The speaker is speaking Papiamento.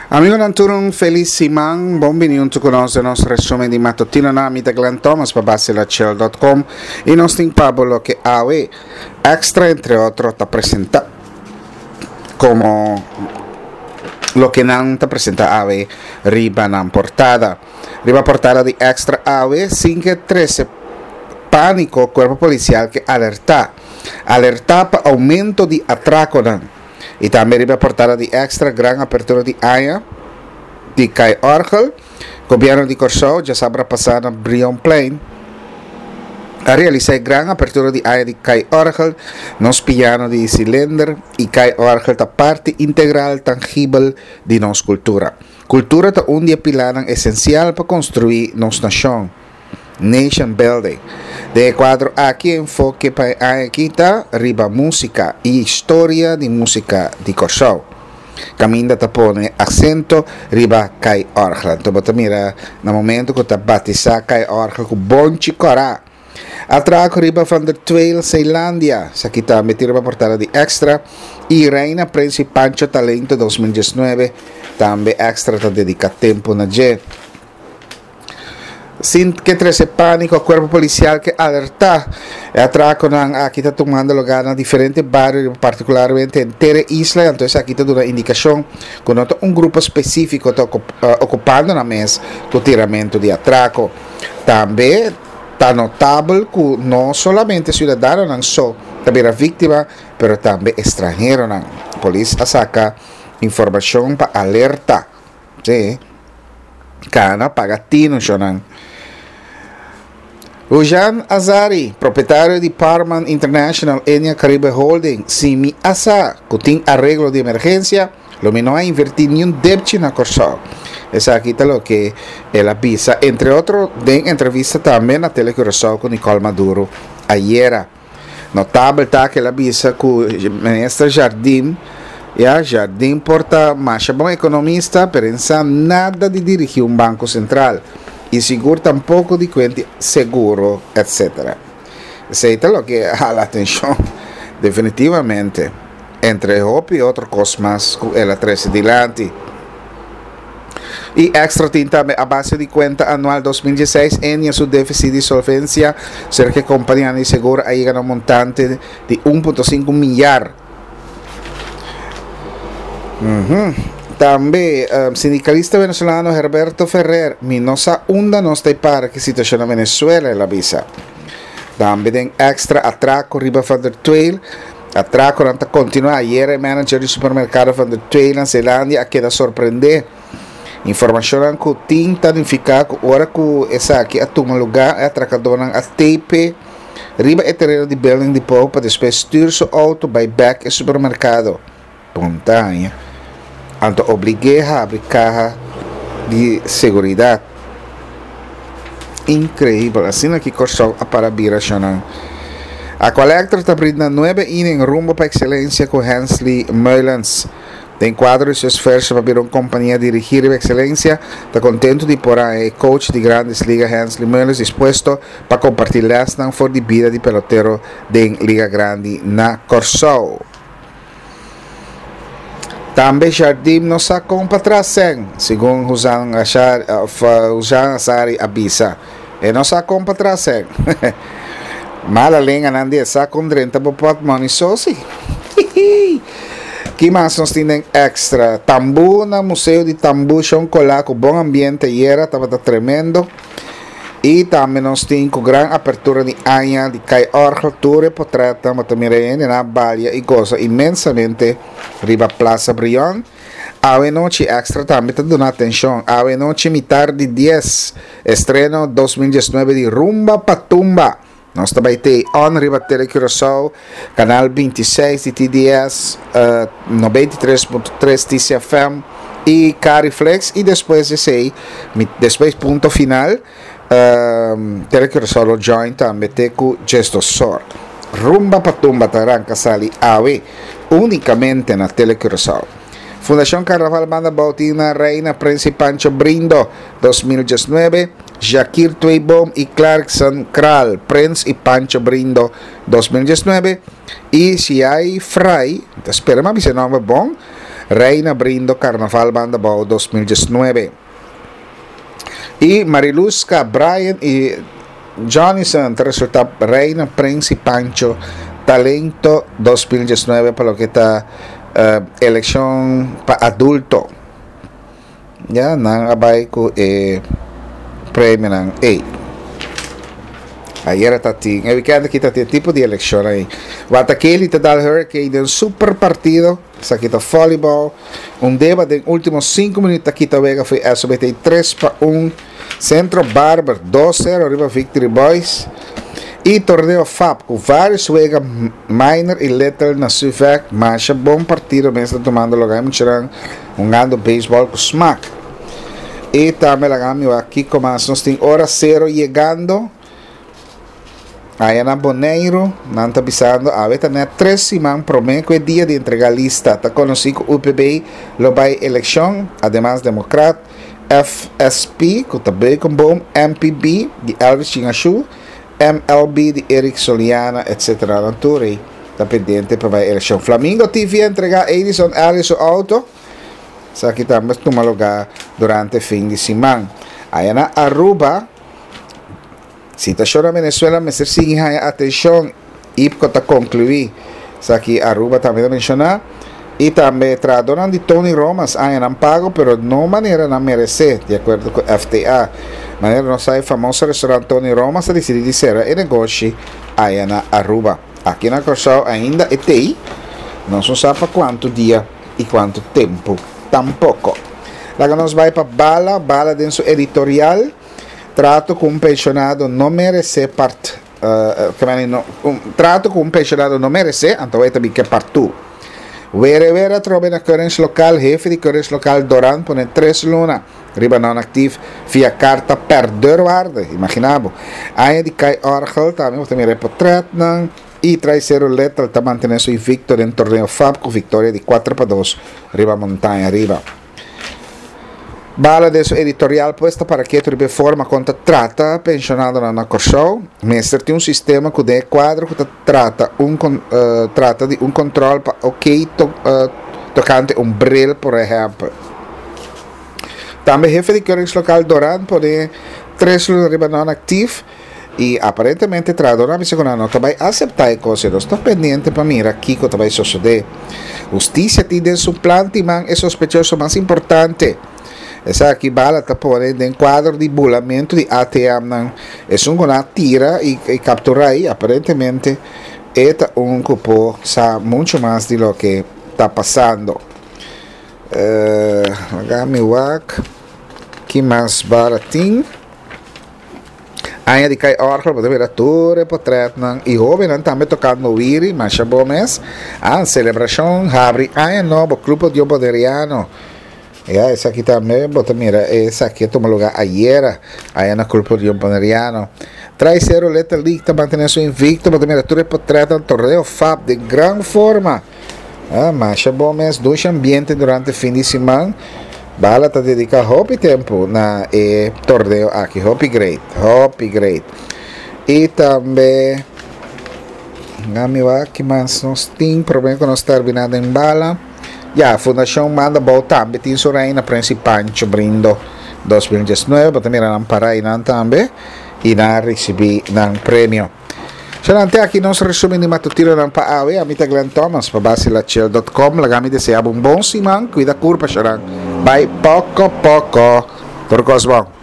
Amigonan tur un felis siman, bon bini hunto cu nos den nos resumen di matutinonan. Mi ta Glenn Thomas pa basilachel.com y nos tin pa bo loke awe Extra entre otro ta presenta como loke nan ta presenta awe riba nan portada. Riba portada di Extra awe sin ke trece panico cuerpo policial ke alerta. Alerta pa aumento di atraconan. Y tambe riba portada di Extra gran apertura di aña di Kai Orgel. Gobierno di Corsou djasabra pasa na Brionplein a realisa e gran apertura di aña di Kai Orgel. Nos piano di silinder y Kai Orgel ta parti integral tangibel di nos cultura. Cultura ta un di e pilanan esencial pa construi nos nacion. Nation Building. Den e kuadro aki e enfoke pa e aña aki ta riba músika i historia di músika di Kòrsou. Kaminda ta pone aksento riba Kai Òrgel. Anto bo ta mira na momento ku ta batisá Kai Òrgel ku bonchi kòrá. Atrako riba Van der Tweel Zeilandia, esaki tambe tin riba portada di Extra, i Reina Prins i Pancho Talento 2019, tambe Extra ta dediká tempu na dje. Sin ke trese pániko, kuerpo polisial ke alertá. E atrakonan aki ta tumando lugá na diferente bario, partikularmente henter e isla, i anto esaki ta duna indikashon ku no ta un grupo spesífiko ta okupando nan mes ku tiramentu di atrako. Tambe ta notabel ku no solamente siudadanonan so ta bira víktima, pero tambe estranheronan. Polis a saka informashon pa alerta. Sí. Kana paga tinu shonan. Hujan Azari, propietario di Parman International Enia Caribe Holding, si mi a sa ku tin areglo di emergensia, lo mi no a invertí niun depchi na Kòrsou. Esaki ta loke el a bisa, entre otro den entrevista tambe na Tele Curaçao ku Nicole Maduro ayera. Notabel ta ku el a bisa ku Minister Jardim, ya, Jardim por ta masha bon ekonomista, pero e sa nada di dirigí un banko sentral i sigur tampoko di kuenti seguro, etc. Esei ta loke a hala atenshon definitivamente, entre hopi otro kos mas ku el a trese dilanti. Y Extra tin tambe a base di cuenta anual 2016 Ennia su deficit di solvencia cerca e companianan di seguro a yega na un montante di 1.5 milyar. Tambe sindicalista venezolano Herberto Ferrer, Mi no sa unda nos ta e para ki situacion na Venezuela, el a bisa. Tambe den Extra atraco riba Van der Tweel. Atrakonan ta kontinuá. Ayera e manager di supermerkado Van der Tweel na Zeelandia a keda sorprendé. Informashonnan ku tin ta nifiká ku ora ku esaki a tuma lugá e atrakadónan a tepe riba e tereno di Building Depot pa despues stür su outo bai bèk e supermerkado. Montaña, anto oblig'é habri kaha di seguridat. Inkreibel, asina ki Kòrsou a para bira shonnan. Aqualectra ta brinda nuebe inning rumbo pa ekselensia ku Hensley Meulens. Den kuadro di su esfuerso pa bira un kompania dirigí riba ekselensia, ta kontentu di por haña e coach di Grandes Liga Hensley Meulens dispuesto pa kompartí lèsnan for di bida di pelotero den Liga Grandi na Kòrsou. Tambe Jardim no sa kon pa tras sèn, segun Huzan Ashari, of Huzan Azari a bisa. E no sa kon pa tras sèn. Mala lenganan di e sa kon drenta bo pòtmòni so si. Ki mas nos tin den extra? Tambú na Museo di Tambú Shon Colá ku bon ambiente ayera tabata tremendo. I tambe nos tin ku gran apertura di aña di Kai Orgel tur e potretnan bo ta mira hende nan a balia i gosa inmensamente riba Plaza Brion. Awe nochi Extra tambe ta duna atenshon. Awe nochi mitar di dies estreno 2019 di Rumba pa Tumba. Nos ta bai tei on riba Tele Curaçao, kanal 26 di TDS, 93.3 TCFM i Cariflex i despues di esei, despues punto final, Tele Curaçao lo join tambe te ku Djesdosor. Rumba pa Tumba ta ranka sali awe únikamente na Tele Curaçao. Fundashon Karnaval Banda Bou tin na Reina Prins i Pancho Brindo 2019. Jakir Tweeboom y Clarkson Kraal, Prins y Pancho Brindo, 2019, y Siai Fry, ta spera mi a bisa e nomber bon, Reina Brindo Carnaval Banda Bou 2019. Y Mariluska, Brian y Johnnyson ta resulta Reina Prins y Pancho Talento 2019 pa loke ta eleccion pa adulto. Ya nan a bai ku e premionan ei. Ayera ta tin, e weekend aki ta tin e tipo di elekshon ei. Watakeli ta dal Hurricane den super partido. Esaki ta volleyball. Un deba den ultimo 5 minuut ta kita wega fo'i SOBT 3-1. Centro Barber 2-0 riba Victory Boys. Y torneo FAP cu varios wega minor y little na Suvek. Masha bon partido mes ta tumando lugar. E muchanan hungando baseball cu smaak. Y tambe laga mi wak kico mas nos tin. Ora cero yegando. Aya na Boneiru, nan ta bisando awe ta net tres siman prome cu e dia di entrega lista. Ta conoci cu UPB lo bay eleccion, ademas Democrat, FSP cu ta Beukenboom, MPB di Elvis Chingashu, MLB di Eric Soliana etc. Nan tur ey ta pendiente pa bay eleccion. Flamingo TV a entrega Edison Ellis su auto. Esaki tambe a tuma lugar durante fin di siman. Aya na Aruba. Situacion na Venezuela mester sigui haña atencion, IPCO ta conclui. Esaki Aruba tambe ta menciona. Y tambe trahadornan di Tony Romas haña nan pago pero no manera nan merece, di acuerdo cu FTA. Manera nos sa e famoso restaurant Tony Romas a dicidi di cera e negoshi aya na Aruba. Aki na Corsou ainda e tey, nos no sa pa cuanto dia y cuanto tempo tampoco. Laga nos bay pa Bala, Bala den su editorial. Trato ku un penshonado no meresé part un trato ku un penshonado no meresé, anto e ta bin ke partu. Were were atrobe na Keuringslokaal, hefe di Keuringslokaal Doran pone tres luna riba non-aktief via karta per deurwaarde. Imagina bo. Aña di kai orgel tambe bo ta mira e potretnan i Traicero Little ta mantené su invicto den torneo FAP ku viktoria di 4-2 riba Montaña Riba. Bala den su editorial pues ta para ketu riba e forma kon ta trata pensionadonan na Kòrsou. Mester tin un sistema ku den e kuadro ku ta trata un trata di un kòntròl pa oké tokante un bril por ehèmpel. Tambe hefe di Keuringslokaal Doran pone tres luna riba non-aktief. I aparentemente trahadornan a bisa ku nan no ta bai aseptá e kos ei. Nos ta pendiente pa mira kiko ta bai sosodé. Hustisia tin den su plan timan e sospechoso mas importante. Esaki bala ta pone den kuadro di bulamentu di ATMnan. Esun ku nan a tira i kapturá ei aparentemente e ta un ku por sa muchu mas di loke ta pasando. Laga mi wak ki mas bala tin. Aña di kai orgel bo ta mira tur e potretnan y hobennan tambe tocando wiri, masha bo mes. Ah, celebracion habri aña nobo, Club Odio Boneriano. Ya, esaki tambe bo ta mira esaki a tuma lugar ayera, aya na Club Odio Boneriano. Trai Cero Little League ta mantene su invicto, bo ta mira tur e potretnan, torneo FAP den gran forma. Ah, masha bo mes, dushi ambiente durante fin di siman. Bala ta dedica hopi tempo na e torneo aki. Hopi great, hopi great. Y tambe, nami wak ki mas nos tin, prome ku nos termina den Bala. Ya, Fundacion Manda Bou tambe tin su reina Prince Pancho Brindo 2019. Bo ta mira nan para einan tambe y nan a ricibi nan premio. Solamente aki nos resumen di matutinonan pa awe. Ami ta Glenn Thomas pa Basilachel.com. Laga mi desea bo un bon siman. Cuida curpa, Sharan. Bai poco poco. Tur cos bon.